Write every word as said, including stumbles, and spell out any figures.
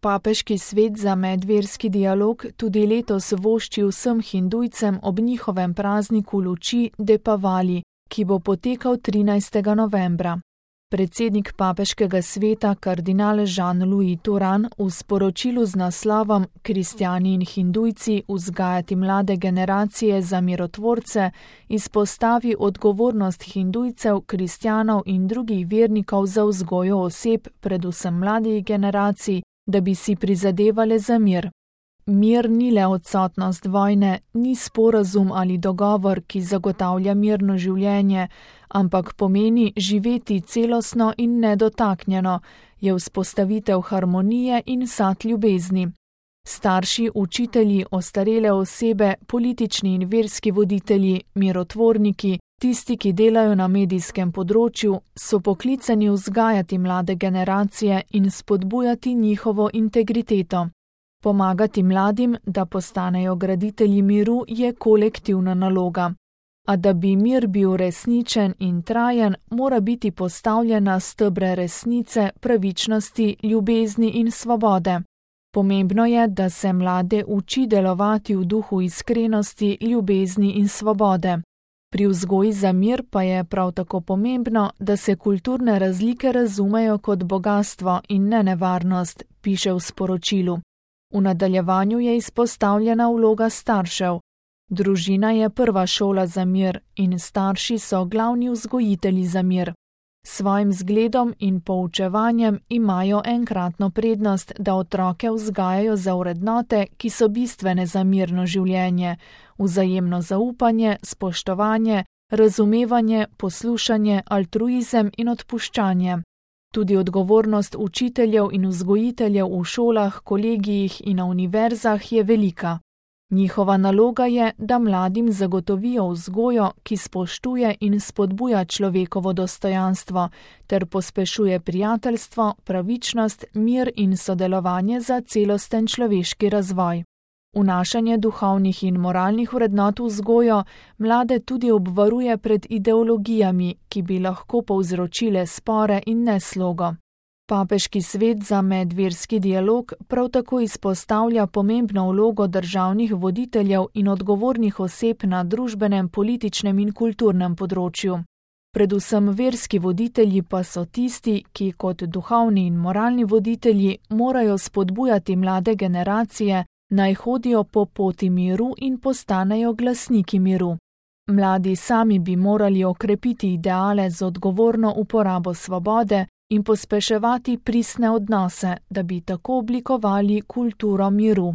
Papeški svet za medverski dialog tudi letos vošči vsem hindujcem ob njihovem prazniku luči Depavali, ki bo potekal trinajstega novembra. Predsednik papeškega sveta kardinal Jean-Louis Turan v sporočilu z naslovom Kristjani in hindujci vzgajati mlade generacije za mirotvorce izpostavi odgovornost hindujcev, kristjanov in drugih vernikov za vzgojo oseb, predvsem mladih generacij, da bi si prizadevale za mir. Mir ni le odsotnost vojne, ni sporazum ali dogovor, ki zagotavlja mirno življenje, ampak pomeni živeti celostno in nedotaknjeno, je vzpostavitev harmonije in sad ljubezni. Starši, učitelji, ostarele osebe, politični in verski voditelji, mirotvorniki, tisti, ki delajo na medijskem področju, so poklicani vzgajati mlade generacije in spodbujati njihovo integriteto. Pomagati mladim, da postanejo graditelji miru, je kolektivna naloga. A da bi mir bil resničen in trajen, mora biti postavljen na stebre resnice, pravičnosti, ljubezni in svobode. Pomembno je, da se mlade uči delovati v duhu iskrenosti, ljubezni in svobode. Pri vzgoji za mir pa je prav tako pomembno, da se kulturne razlike razumejo kot bogastvo in ne nevarnost, piše v sporočilu. V nadaljevanju je izpostavljena vloga staršev. Družina je prva šola za mir in starši so glavni vzgojitelji za mir. Svojim zgledom in poučevanjem imajo enkratno prednost, da otroke vzgajajo za vrednote, ki so bistvene za mirno življenje, vzajemno zaupanje, spoštovanje, razumevanje, poslušanje, altruizem in odpuščanje. Tudi odgovornost učiteljev in vzgojiteljev v šolah, kolegijih in na univerzah je velika. Njihova naloga je, da mladim zagotovijo vzgojo, ki spoštuje in spodbuja človekovo dostojanstvo, ter pospešuje prijateljstvo, pravičnost, mir in sodelovanje za celosten človeški razvoj. Vnašanje duhovnih in moralnih vrednot v vzgojo mlade tudi obvaruje pred ideologijami, ki bi lahko povzročile spore in neslogo. Papeški svet za medverski dialog prav tako izpostavlja pomembno vlogo državnih voditeljev in odgovornih oseb na družbenem, političnem in kulturnem področju. Predvsem verski voditelji pa so tisti, ki kot duhovni in moralni voditelji morajo spodbujati mlade generacije, naj hodijo po poti miru in postanejo glasniki miru. Mladi sami bi morali okrepiti ideale z odgovorno uporabo svobode in pospeševati pristne odnose, da bi tako oblikovali kulturo miru.